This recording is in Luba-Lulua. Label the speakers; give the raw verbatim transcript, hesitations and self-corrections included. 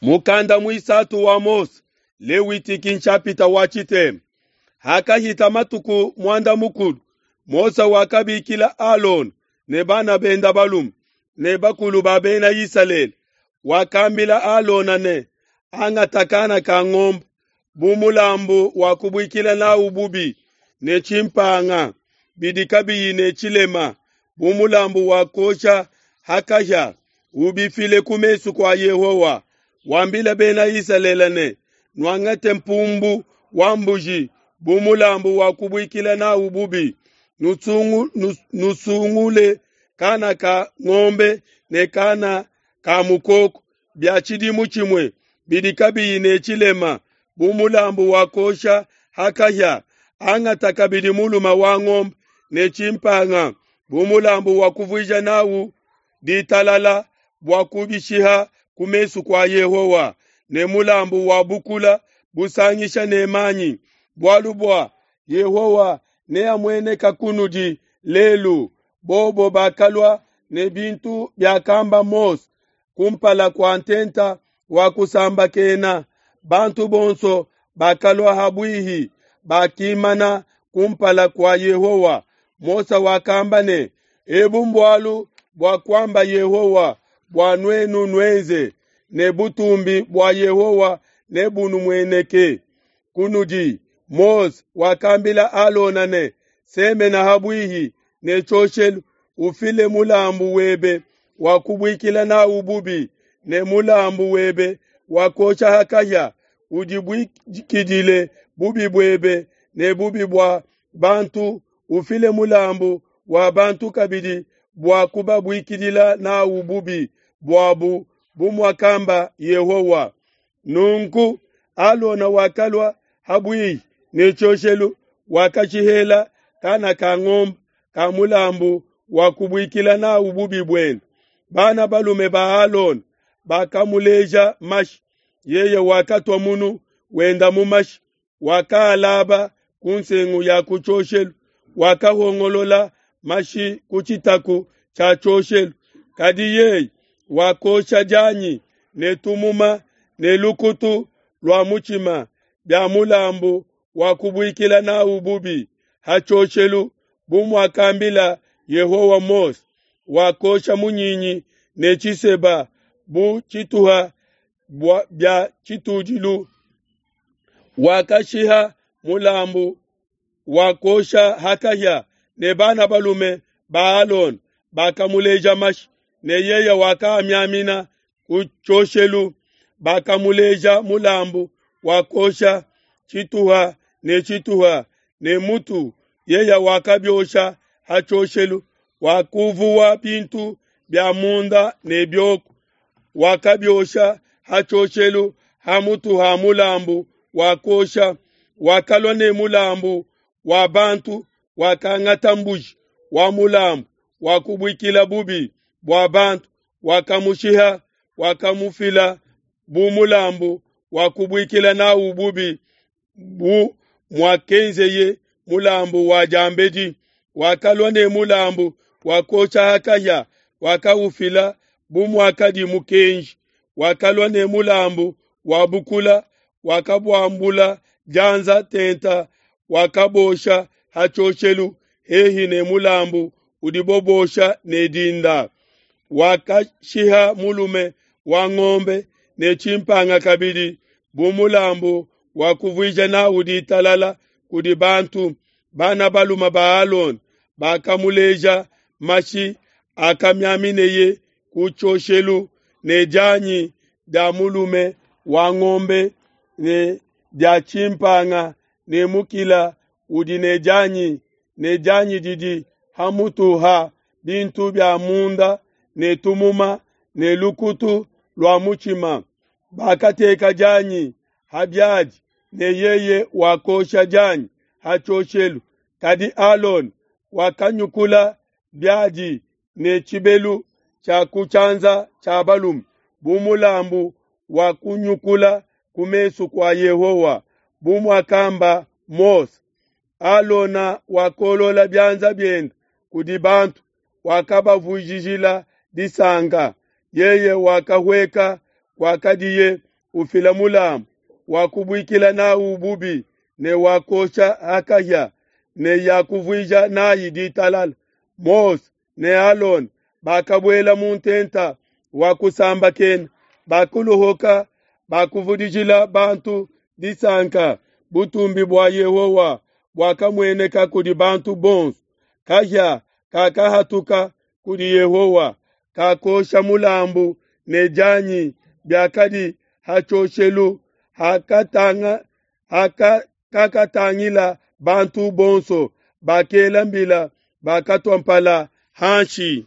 Speaker 1: Mukanda muisatu wa Mose, Lewitiki nshapita wa tshitema. Hakahita matuku muanda mukulu, Mose wakabikila Alona ne bana benda balume ne bakulu ba bena Isalele. Wakambila Alona ne, angata kana ka ngombe bu mulambu wa kubuikila nawu bubi ne tshimpanga bidi kabiyi ne tshilema bu mulambu wa kuosha ha kahia, ubifile ku mesu kua Yehowa. Wambile bena Isalele ne, nuangate mpumbu wa mbuji bu mulambu wa kubuikila nawu bubi, nusungu, nusungule kana ka ngombe ne kana ka mukoko bia tshidimu tshimue bidi kabiyi ne tshilema bu mulambu wa kuosha ha kahia. Angata kabidi mulume wa ngombe ne tshimpanga bu mulambu wa kuvuija nawu ditalala bua kubishiha ku mesu kua Yehowa, ne mulambu wa bukula busangisha ne manyi, bualu bua Yehowa neamueneka kunudi lelu. Bobo bakalua ne bintu biakamba Mose kumpala kua ntenta wa kusambakena. Bantu bonso bakalua ha buihi, bakimana kumpala kua Yehowa. Mose wakamba ne, ebu mbualu bua kuamba Yehowa bua nuenu nuenze, ne butumbi bua Yehowa nebunumueneke kunudi. Mose wakambila Alona ne, semena ha buihi ne tshioshelu, ufile mulambu webe wa kubuikila nawu bubi ne mulambu webe wa kuosha ha kahia, udibuikidile bubi buebe ne bubi bua bantu, ufile mulambu wa bantu kabidi bua kubabuikidila nawu bubi buabu, bu muakamba Yehowa. Nunku Alona wakalua ha buihi ne tshioshelu, wakatshihela kana ka ngombe ka mulambu wa kubuikila nawu bubi buende. Bana balume ba Alona bakamuleja mashi, yeye wakatua munu wenda mu mashi, wakaalaba ku nsengu ya ku tshioshelu, wakahongolola mashi ku tshitaku tshia tshioshelu. Kadi yeye wakosha dianyi ne tumuma ne lukutu lua mutshima bia mulambu wa kubuikila nawu bubi ha tshioshelu, bu muakambila Yehowa Mose. Wakosha munyinyi ne tshiseba bu tshituha bia tshitudilu. Wakashiha mulambu wa kuosha ha kahia, ne bana balume ba Alona bakamuleja mashi, ne yeye wakaamiamina ku tshioshelu. Bakamuleja mulambu wa kuosha tshituha ne tshituha ne mutu, yeye wakabiosha ha tshioshelu. Wakuvuwa bintu bia munda ne bioko, wakabiosha ha tshioshelu ha mutu ha mulambu wa kuosha. Wakalua ne mulambu wa bantu, wakangata mbuji wa mulambu wa kubuikila bubi bua bantu, wakamushiha, wakamufila bu mulambu wa kubuikila nawu bubi, bu muakenzeye mulambu wa diambedi. Wakalua ne mulambu wa kuosha ha kahia, wakaufila bu muakadi mukenji. Wakalua ne mulambu wa bukula, wakabuambula dianza tenta, wakabosha ha tshioshelu hehi ne mulambu udibo bosha ne dinda. Wakashiha mulume wa ngombe ne tshimpanga kabidi bu mulambu wa kuvuija nawu ditalala kudi bantu. Bana balume ba Alona bakamuleja mashi akamiamineye ku tshioshelu, ne dianyi dia mulume wa ngombe ne dia tshimpanga ne mukila udi ne dianyi, ne dianyi didi ha mutu ha bintu bia munda ne tumuma ne lukutu lua mutshima. Bakateka dianyi ha biadi, ne yeye wakosha dianyi ha tshioshelu. Kadi Alona wakanyukula biadi ne tshibelu tshia ku tshianza tshia balume bu mulambu wa kunyukula ku mesu kua Yehowa, bu muakamba Mose. Alona wakolola bianza biende kudi bantu, wakabavujijila disanka. Yeye wakahueka kwakadiye ufila mulambu wa kubuikila nawu bubi ne wa kuosha ha kahia ne ya kuvuija nayi ditalala. Mose ne Alona bakabuela mu ntenta wa kusambakena, bakuluhuka, bakuvudijila bantu disanka. Butumbi bua Yehowa buakamueneka kudi bantu bonso. Kahia kakahatuka kudi Yehowa, kakosha mulambu ne dianyi biakadi ha tshioshelu, hakatanga haka kakatangila bantu bonso, bakela mbila, bakatua mpala hanshi.